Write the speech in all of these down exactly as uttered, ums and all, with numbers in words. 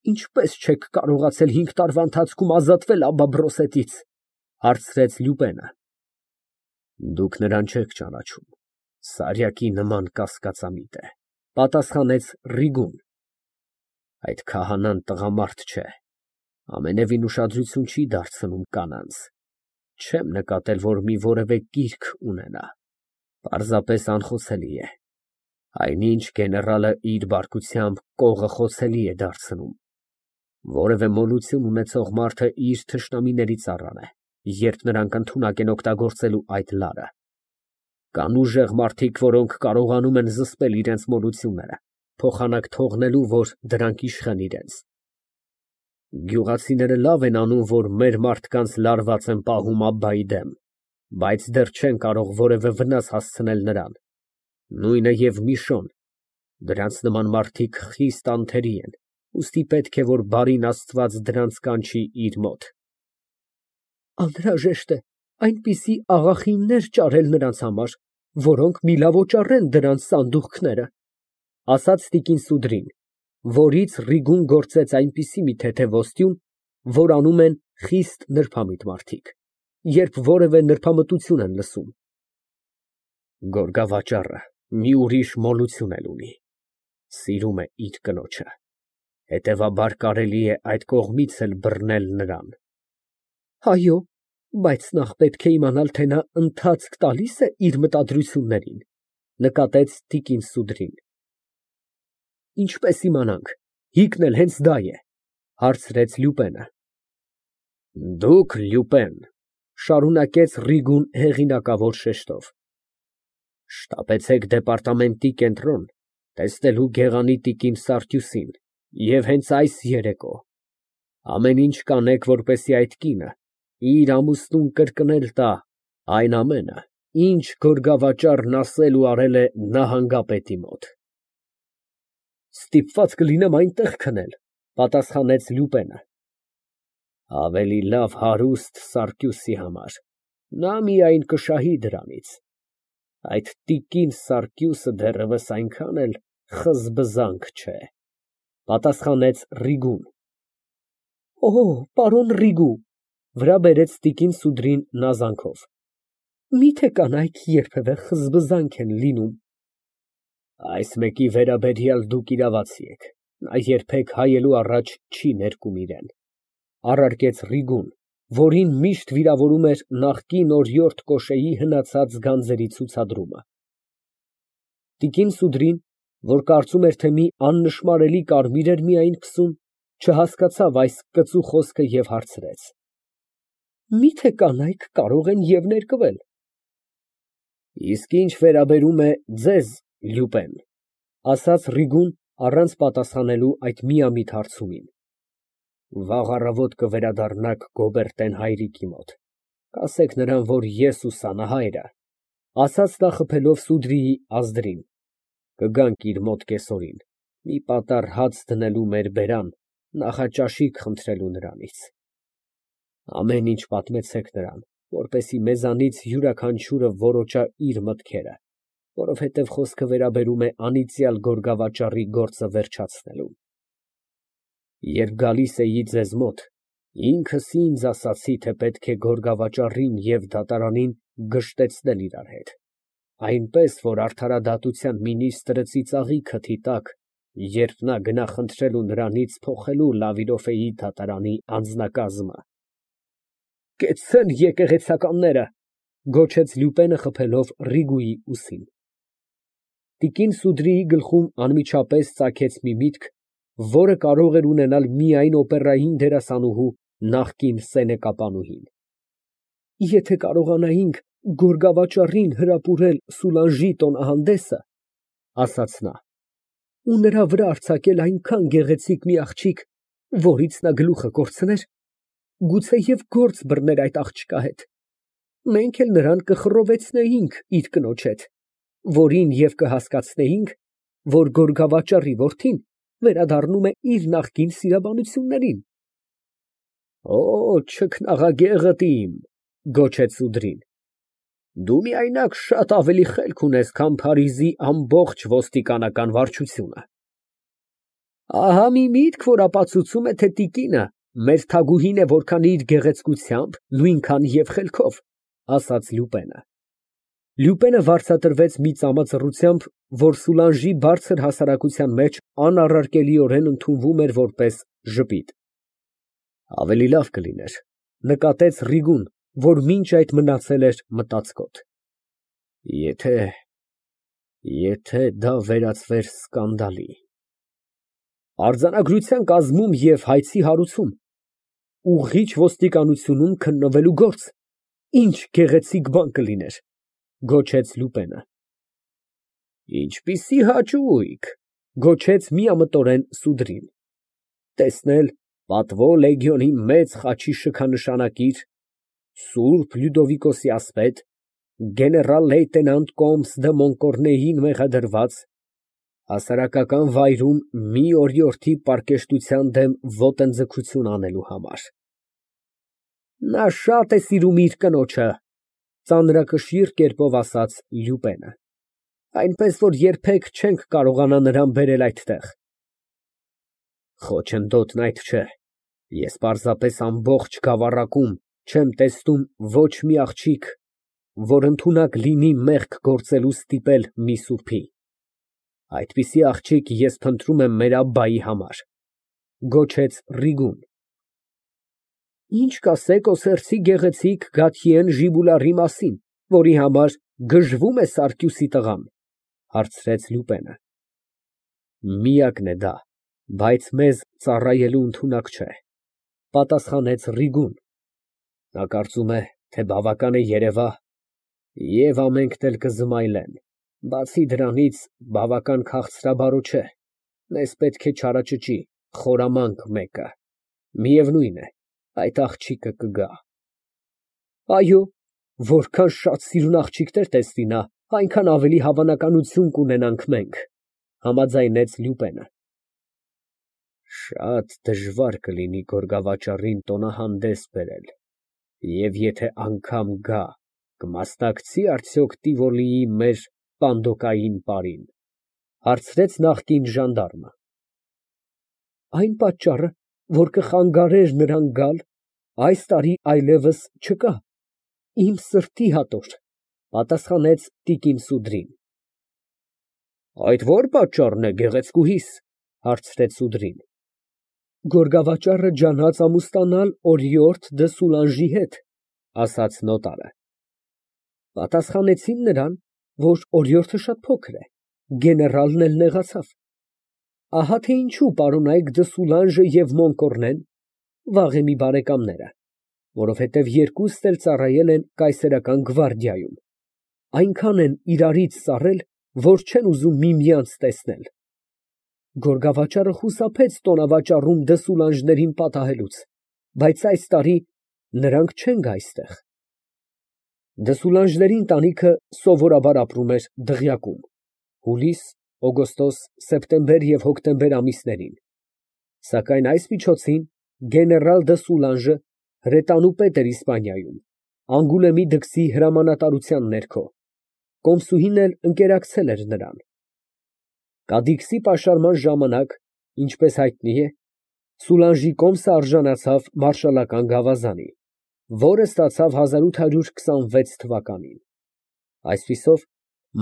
Ինչպե՞ս չեք կարողացել հինգ տարվա ընթացքում ազատվել Աբբա֊Բրոսետից, ֊ հարցրեց Լյուպենը։ Դուք նրան չեք ճանաչում, Սարյակի նման կասկածամիտ է, ֊ պատասխանեց Ռիգուն։ Այդ քահանան տղամարդ չէ, ամենևին ուշադրություն չի դարձնում կանանց, չեմ նկատել, որ մի որևէ կիրք ունենա, պարզապես անխոցելի է, այնինչ գեներալը իր բարկությամբ կողը խոցելի է դարձնում, որևէ մոլություն ունեցող մարդը իր թշնամիների ծառան է, երբ նրանք ընդունակ են օգտագործելու այդ լարը։ Կան ուժեղ մարդիկ, որոնք կարողանում են զսպել իրենց մոլությունները, փոխանակ թողնելու, որ դրանք իշխեն իրենց։ Գյուղացիները լավ են անում, որ մեր մարդկանց լարված են պահում Աբբայի դեմ, բայց դեռ չեն կարող որևէ վնաս հասցնել նրան, նույնը և Միշոն, դրանց նման մարդիկ խիստ անթերի են, ուստի պետք է, որ բարին Աստված դրանց կանչի իր մոտ։ Անհրաժեշտ է այնպիսի աղախիններ ճարել նրանց համար, որոնք միլավոճառեն դրանց սանդուղքները, ֊ ասաց տիկին Սուդրին, որից Ռիգուն գործեց այնպիսի մի թեթև ոստյուն, որ անում են խիստ նրբամիտ մարդիկ, երբ որևէ նրբամտություն են լսում։ Գորգավաճառը մի ուրիշ մոլություն էլ ունի, սիրում է իր կնոջը, հետևաբար կարելի է այդ կողմից էլ բռնել նրան։ Այո, բայց նախ պետք է իմանալ, թե նա ընթացք տալի՞ս է իր մտադրություններին, ֊ նկատեց տիկին Սուդրին։ Ինչպես իմանանք, հիկն էլ հենց դա է, ֊ հարցրեց Լյուպենը։ Դուք, Լյուպեն, ֊ շարունակեց Ռիգուն հեղինակավոր շեշտով, շտապեցեք դեպարտամենտի կենտրոն, տեսնելու գեղանի տիկին Սարգյուսին և հենց այս երեկո ամեն ինչ կանեք, որպեսզի այդ կինը իր ամուսնուն կրկնել տա այն ամենը, ինչ գորգավաճառն ասել ու արել է նահանգապետի մոտ։ Ստիպված կլինեմ այնտեղ քնել, ֊ պատասխանեց Լյուպենը։ Ավելի լավ հարուստ Սարգյուսի համար, նա միայն կշահի դրանից, այդ տիկին Սարգյուսը դեռևս այնքան էլ խզբզանք չէ, ֊ պատասխանեց Ռիգուն։ Օ, պարոն Ռիգու, ֊ վրա բերեց տիկին Սուդրին նազանքով, միթե կանայք երբևէ խզբզանք են լինում։ Այս մեկի վերաբերյալ դուք իրավացի եք, նա երբեք հայելու առաջ չի ներկում իրեն, ֊ առարկեց Ռիգուն, որին միշտ վիրավորում էր նախկին օրիորդ Կոշեի հնացած գանձերի ցուցադրումը։ Տիկին Սուդրին, որ կարծում էր, թե մի աննշմարելի կարմիր էր միայն քսում, չհասկացավ այս կծու խոսքը և հարցրեց. Միթե կանայք կարող են և ներկվել։ Իսկ ինչ վերաբերում է ձեզ, Լյուպեն, ֊ ասաց Ռիգուն, առանց պատասխանելու այդ միամիտ հարցումին, վաղ առավոտ կվերադառնաք Գոբերտեն հայրիկի մոտ, կասեք նրան, որ ես ու Սանահայրը, ֊ ասաց նա խփելով Սուդրիի ազդրին, կգանք իր մոտ կեսօրին, մի պատառ հաց դնելու մեր բերան, նախաճաշիկ խնդրելու նրանից։ Ամեն ինչ պատմեցեք նրան, որպեսզի մեզանից յուրաքանչյուրը որոջա իր մտքերը, որովհետև խոսքը վերաբերում է անիծյալ գորգավաճառի գործը վերջացնելուն։ Երբ գալիս էի ձեզ մոտ, ինքս ինձ ասացի, թե պետք է գորգավաճառին և դատարանին գժտեցնել իրար հետ, այնպես, որ արդարադատության մինիստրը ծիծաղի քթի տակ, երբ նա գնա խնդրելու նրանից փոխելու Լավիրոֆեի դատարանի անձնակազմը։ Կեցցեն եկեղեցականները, ֊ գոչեց Լյուպենը խփելով Ռիգուի ուսին։ Տիկին Սուդրիի գլխում անմիջապես ծագեց մի միտք, որը կարող էր ունենալ միայն օպերային դերասանուհու նախկին սենեկապանուհին։ Եթե կարողանայինք գորգավաճառին հրապուրել Սուլանժի տոնահանդեսը, ֊ ասաց նա, ֊ ու նրա վրա արձակել այնքան գեղեցիկ մի աղջիկ, որից նա գլուխը կորցներ, գուցեև գործ բռներ այդ աղջկա հետ, մենք էլ նրան կխռովեցնեինք իր կնոջ հետ, որին և կհասկացնեինք, որ գորգավաճառի որդին վերադառնում է իր նախկին սիրաբանություններին։ Օ, չքնաղագեղդ իմ, ֊ գոչեց Սուդրին, դու միայնակ շատ ավելի խելք ունես, քան Փարիզի ամբողջ ոստիկանական վարչությունը։ Ահա մի միտք, որ ապացուցում է, թե տիկինը մեր թագուհին է որքան իր գեղեցկությամբ, նույնքան և խելքով, ասաց Լյուպենը։ Լյուպենը վարձատրվեց մի ծամածռությամբ, որ Սուլանժի բարձր հասարակության մեջ անառարկելիորեն ընդունվում էր որպես ժպիտ։ Ավելի լավ կլիներ, նկատեց Ռիգուն, որ մինչ այդ մնացել էր մտածկոտ, եթե… եթե դա վերածվեր սկանդալի… Արձանագրության կազմում և հայցի հարուցում, ուղղիչ ոստիկանությունում քննվելու գործ, ինչ գեղեցիկ բան կլիներ, գոչեց Լյուպենը։ Ինչպիսի հաճույք, գոչեց միամտորեն Սուդրին, տեսնել պատվո լեգիոնի մեծ խաչի շքանշանակիր, սուրբ Լյուդովիկոսի ասպետ, գեներալ լեյտենանտ Կոմս դը Մոնկորնեին մեղադրված, հասարակական վայրում մի օրիորդի պառկեշտության դեմ ոտնձգություն անելու համար։ Նա շատ է սիրում իր կնոջը, ծանրակշիռ կերպով ասաց Լյուպենը, այնպես որ երբեք չենք կարողանա նրան բերել այդտեղ։ Խոչընդոտն այդ չէ, ես պարզապես ամբողջ գավառակում չեմ տեսնում ոչ մի աղջիկ, որ ընդունակ լինի մեղք գործելու ստիպել մի սուրբի։ Այդպիսի աղջիկ ես փնտրում եմ մեր Աբբայի համար, գոչեց Ռիգուն։ Ինչ կասեք Օսիրսի գեղեցիկ Գաթիեն Ժիբուլարի մասին, որի համար գժվում է Սարգիսի տղան, հարցրեց Լյուպենը։ Միակն է դա, բայց մեզ ծառայելու ընդունակ չէ, պատասխանեց Ռիգուն։ Նա կարծում է, թե բավական է երևա և ամենքն էլ կզմայլեն, բացի դրանից բավական քաղցրաբարո չէ, մեզ պետք է չարաճճի, խորամանկ մեկը, միևնույն է, այդ աղջիկը կգա։ Այո, որքան շատ սիրուն աղջիկներ տեսնի նա, այնքան ավելի հավանականություն կունենանք մենք, համաձայնեց Լյուպենը։ Շատ դժվար կլինի գորգավաճառին տոնահանդես բերել, և եթե անգամ գա, կմասնակցի՞ արդյոք Տիվոլիի մեր պանդոկային պարին, հարցրեց նախկին ժանդարմը։ Այն պատճառը, որ կխանգարեր նրան գալ, այս տարի այլևս չկա, իմ սրտի հատոր, պատասխանեց տիկին Սուդրին։ Այդ ո՞ր պատճառն է, գեղեցկուհիս, հարցրեց Սուդրին։ Գորգավաճառը ջանաց ամուսնանալ օրիորդ դը Սուլանժի հետ, ասաց նոտարը։ Պատասխանեցին նրան, որ օրիորդը շատ փոքր է, գեներալն էլ նեղացավ։ Ահա թե ինչու պարոնայք դը Սուլանժը և Մոնկորնեն վաղեմի բարեկամներ են, որովհետև երկուսն էլ ծառայել են կայսերական գվարդիայում, այնքան են իրարից սառել, որ չեն ուզում միմյանց տեսնել։ Գորգավաճառը խուսափեց տոնավաճառում դը Սուլանժներին պատահելուց, բայց այս տարի նրանք չեն գա այստեղ։ Դը Սուլանժների ընտանիքը սովորաբար ապրում էր Դղյակում, հուլիս, օգոստոս, սեպտեմբեր և հոկտեմբեր ամիսներին, սակայն այս միջոցին գեներալ դը Սուլանժը հրետանու պետ էր Իսպանիայում, Անգուլեմի դքսի հրամանատարության ներքո, կոմսուհին էլ ընկերակցել էր նրան։ Կադիքսի պաշարման ժամանակ, ինչպես հայտնի է, Սուլանժի կոմսը արժանացավ մարշալական գավազանի, որը ստացավ հազար ութ հարյուր քսանվեց թվականին։ Այսպիսով,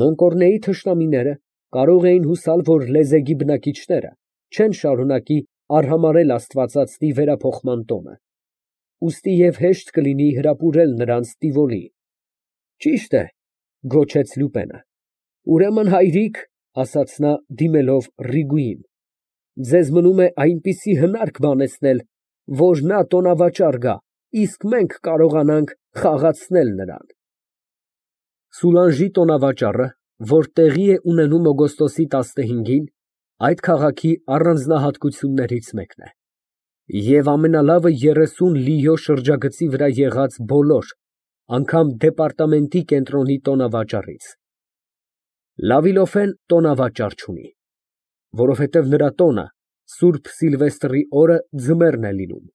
Մոնկորնեի թշնամիները կարող էին հուսալ, որ լեզեգի բնակիչները չեն շարունակի արհամարհել աստվածածնի վերափոխման տոնը, ուստի և հեշտ կլինի հրապուրել նրանց Տիվոլի։ Ճիշտ է, գոչեց Լյուպենը։ Ուրեմն, հայրիկ, ասաց նա, դիմելով Ռիգուին, ձեզ մնում է այնպիսի հնարք բանեցնել, որ նա տոնավաճառ գա, իսկ մենք կարողանանք խաղացնել նրան։ Սուլանժի տոնավաճառը, որ տեղի է ունենում օգոստոսի տասնհինգին, այդ քաղաքի առանձնահատկություններից մեկն է և ամենալավը երեսուն լիո շրջագծի վրա եղած բոլոր, անգամ դեպարտամենտի կենտրոնի տոնավաճառից։ Լավիլոֆեն տոնավաճառ չունի, որովհետև նրա տոնը Սուրբ Սիլվեստրի օրը ձմեռն է լինում։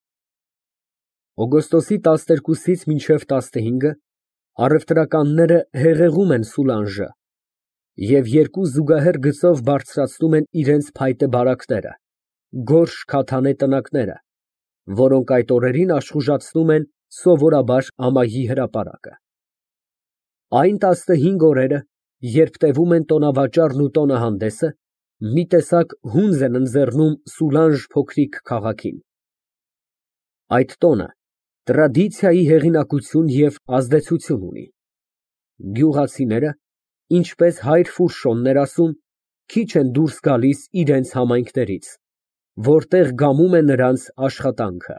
Օգոստոսի տասներկուսից մինչև տասնհինգը առևտրականները հեղեղում են Սուլանժը և երկու զուգահեռ գծով բարձրացնում են իրենց փայտե բարակները, գորշ քաթանե տնակները, որոնք այդ օրերին աշխուժացնում են սովորաբար ամայի հրապարակը։ Այն տասնհինգ օրերը, երբ տևում են տոնավաճառն ու տոնահանդեսը, մի տեսակ հունձ են ընձեռնում Սուլանժ փոքրիկ քաղաքին։ Այդ տոնը տրադիցիայի հեղինակություն և ազդեցություն ունի։ Գյուղացիները, ինչպես հայր Ֆուրշոնն էր ասում, քիչ են դուրս գալիս իրենց համայնքներից, որտեղ գամում է նրանց աշխատանքը։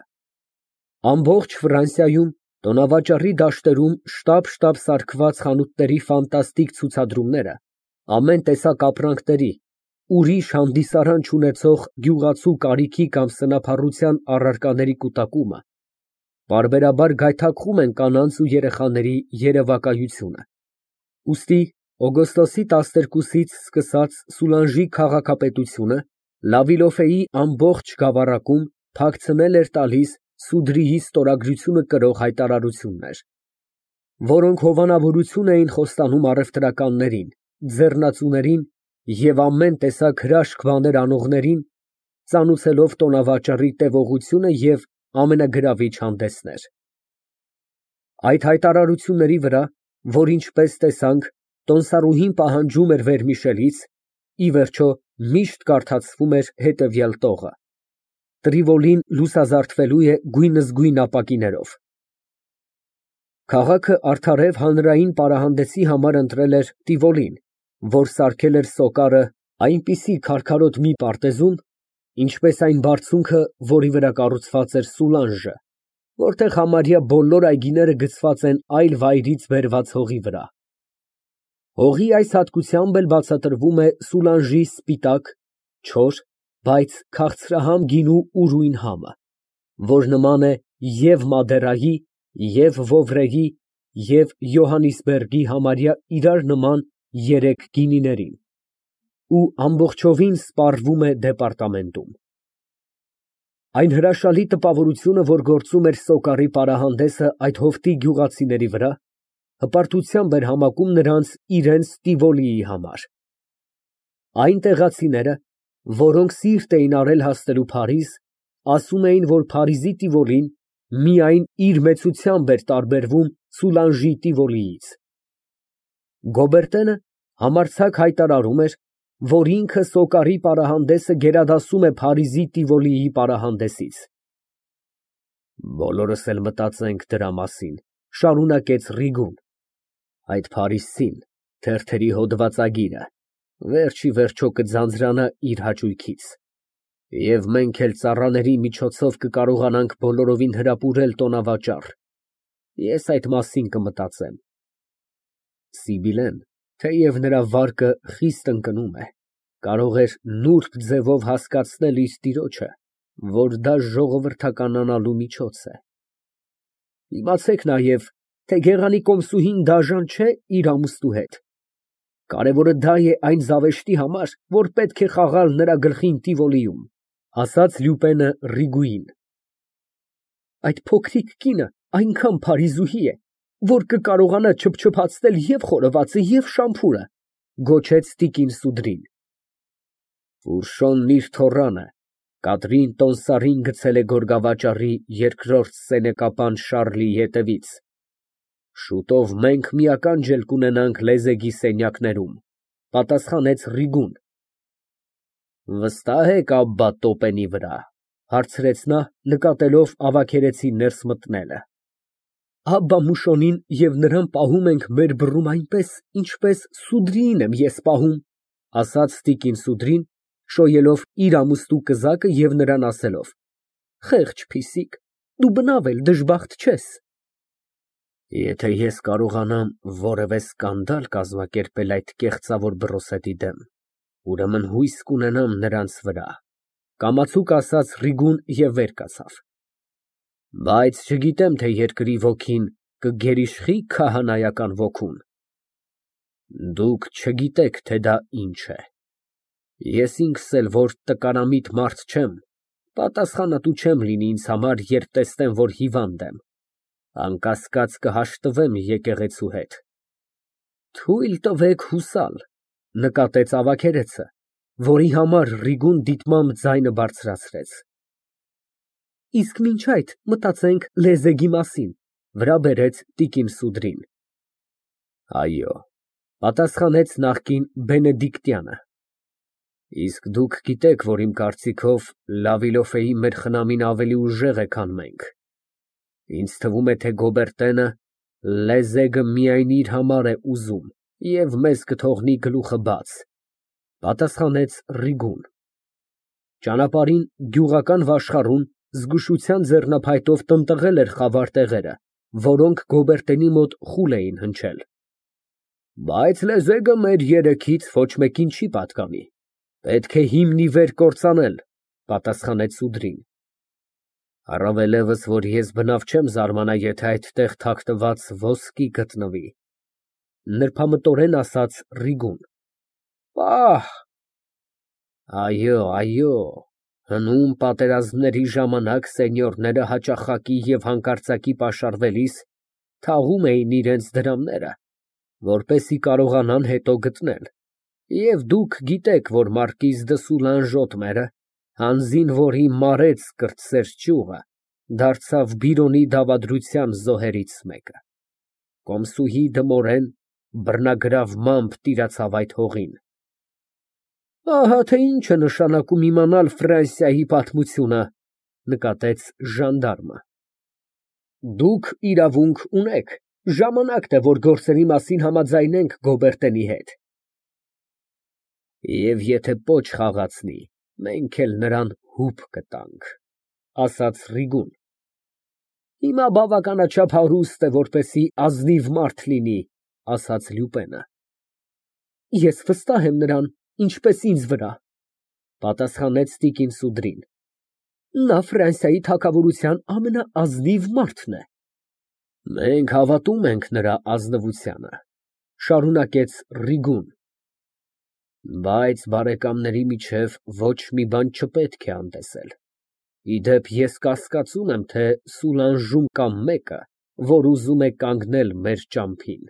Ամբողջ Ֆրանսիայում տոնավաճառի դաշտերում շտապ֊շտապ սարքված խանութների ֆանտաստիկ ցուցադրումները, ամեն տեսակ ապրանքների, ուրիշ հանդիսարան չունեցող գյուղացու կարիքի կամ սնափառության առարկաների կուտակումը պարբերաբար գայթակղում են կանանց ու երեխաների երևակայությունը։ Ուստի օգոստոսի տասներկուսից սկսած Սուլանժի քաղաքապետությունը Լավիլոֆեի ամբողջ գավառակում թաքցնել էր տալիս Սուդրիի ստորագրությունը կրող հայտարարություններ, որոնք հովանավորություն էին խոստանում առևտրականներին, ձեռնածուներին և ամեն տեսակ հրաշք բաներ անողներին, ծանուցելով տոնավաճառի տևողությունը և ամենագրավիչ հանդեսներ։ Այդ հայտարարությունների վրա, որ ինչպես տեսանք, տոնսարուհին պահանջում էր վերմիշելից, ի վերջո միշտ կարդացվում էր հետևյալ տողը. Տրիվոլին լուսազարդվելու է գույնզգույն ապակիներով։ Քաղաքը արդարև հանրային պարահանդեսի համար ընտրել էր Տիվոլին, որ սարքել էր Սոկարը այնպիսի քարքարոտ մի պարտեզում, ինչպես այն բարձունքը, որի վրա կառուցված էր Սուլանժը, որտեղ համարյա բոլոր այգիները գցված են այլ վայրից բերված հողի վրա։ Հողի այս հատկությամբ էլ բացատրվում է Սուլանժի սպիտակ, չոր, բայց քաղցրահամ գինու ուրույն համը, որ նման է և Մադերայի, և Վովրեի, և Յոհաննիսբերգի համարյա իրար նման երեք գինիներին ու ամբողջովին սպառվում է դեպարտամենտում։ Այն հրաշալի տպավորությունը, որ գործում էր Սոկարի պարահանդեսը այդ հովտի գյուղացիների վրա, հպարտությամբ էր համակում նրանց իրենց Տիվոլիի համար։ Այն տեղացիները, որոնք սիրտ էին արել հասնելու Փարիզ, ասում էին, որ Փարիզի Տիվոլին միայն իր մեծությամբ էր տարբերվում Սուլանժի Տիվոլիից։ Գոբերտենը համարձակ հայտարարում էր, որ ինքը Սոկարի պարահանդեսը գերադասում է Փարիզի Տիվոլիի պարահանդեսից։ Բոլորս էլ մտածենք դրա մասին, շարունակեց Ռիգուն, այդ փարիզցին, թերթերի հոդվածագիրը, վերջ ի վերջո կձանձրանա իր հաճույքից, և մենք էլ ծառաների միջոցով կկարողանանք բոլորովին հրապուրել տոնավաճառ, ես այդ մասին կմտածեմ։ Սիբիլեն, թեև նրա վարկը խիստ ընկնում է, կարող էր նուրբ ձևով հասկացնել իր տիրոջը, որ դա ժողովրդականանալու միջոց է։ Իմացեք նաև, թե գեղանի կոմսուհին դաժան չէ իր ամուսնու հետ։ Կարևորը դա է այն զավեշտի համար, որ պետք է խաղալ նրա գլխին Տիվոլիում, ասաց Լյուպենը Ռիգուին։ Այդ փոքրիկ կինը այնքան փարիզուհի է, որ կկարողանա չփչփացնել և խորովածը, և շամփուրը, գոչեց տիկին Սուդրին։ Ֆուրշոնն իր թոռանը Կատրին Տոնսարին գցել է գորգավաճառի երկրորդ սենեկապան Շառլի ետևից, շուտով մենք մի ականջ էլ կունենանք լեզեգի սենյակներում, պատասխանեց Ռիգուն։ Վստահ եք Աբբա Տոպենի վրա, հարցրեց նա, նկատելով ավագերեցի ներս մտնելը։ Աբբա Մուշոնին և նրան պահում ենք մեր բռում այնպես, ինչպես Սուդրիին եմ ես պահում, ասաց տիկին Սուդրին, շոյելով իր ամուսնու կզակը և նրան ասելով. Խեղճ փիսիկ, դու բնավ էլ դժբախտ չես։ Եթե ես կարողանամ որևէ սկանդալ կազմակերպել այդ կեղծավոր բռոսետի դեմ, ուրեմն հույս կունենամ նրանց վրա, կամացուկ ասաց Ռիգուն և վեր կացավ։ Բայց չգիտեմ, թե երկրի ոգին կգերիշխի քահանայական ոգուն։ Դուք չգիտեք, թե դա ինչ է։ Ես ինքս էլ որ տկարամիտ մարդ չեմ, պատասխանատու չեմ լինի ինձ համար, երբ տեսնեմ, որ հիվանդ եմ, անկասկած կհաշտվեմ եկեղեցու հետ։ Թույլ տվեք հուսալ, նկատեց ավագերեցը, որի համար Ռիգուն դիտմամբ ձայնը բարձրացրեց։ Իսկ մինչ այդ մտածենք լեզեգի մասին, վրա բերեց տիկին Սուդրին։ Այո, պատասխանեց նախկին Բենեդիկտյանը։ Իսկ դուք գիտեք, որ իմ կարծիքով Լավիլոֆեի մեր խնամին ավելի ուժեղ է, քան մենք։ Ինձ թվում է, թե Գոբերտենը լեզեգը միայն իր համար է ուզում և մեզ կթողնի գլուխը բաց, պատասխանեց Ռիգուն։ Ճանապարհին գյուղական վաշխառուն զգուշության ձեռնափայտով տնտղել էր խավար տեղերը, որոնք Գոբերտենի մոտ խուլ էին հնչել։ Բայց լեզեգը մեր երեքից ոչ մեկին չի պատկանի, պետք է հիմն ի վեր կործանել, պատասխանեց Սուդրին։ Առավելևս, որ ես բնավ չեմ զարմանա, եթե այդտեղ թաքնված ոսկի գտնվի, նրբամտորեն ասաց Ռիգուն։ Պահ։ Այո, այո, հնում պատերազմների ժամանակ սենյորները հաճախակի և հանկարծակի պաշարվելիս թաղում էին իրենց դրամները, որպեսզի կարողանան հետո գտնել, և դուք գիտեք, որ մարկիզ դը Սուլանժոտմերը, հանձին որի մարեց կրտսեր ճյուղը, դարձավ Բիրոնի դավադրության զոհերից մեկը, կոմսուհի Դմորեն բռնագրավմամբ տիրացավ այդ հողին։ Ահա թե ինչ է նշանակում իմանալ Ֆրանսիայի պատմությունը, նկատեց ժանդարմը։ Դուք իրավունք ունեք, ժամանակն է, որ գործերի մասին համաձայնենք Գոբերտենի հետ։ Եվ եթե պոչ խաղացնի, մենք էլ նրան հուպ կտանք, ասաց Ռիգուն։ Հիմա բավականաչափ հարուստ է, որպեսզի ազնիվ մարդ լինի, ասաց Լյուպենը։ Ես վստահ եմ նրան, ինչպես ինձ վրա, պատասխանեց տիկին Սուդրին։ Նա Ֆրանսիայի թագավորության ամենաազնիվ մարդն է։ Մենք հավատում ենք նրա ազնվությանը, շարունակեց Ռիգուն, բայց բարեկամների միջև ոչ մի բան չպետք է անտեսել։ Ի դեպ, ես կասկածում եմ, թե Սուլանժում կա մեկը, որ ուզում է կանգնել մեր ճամփին։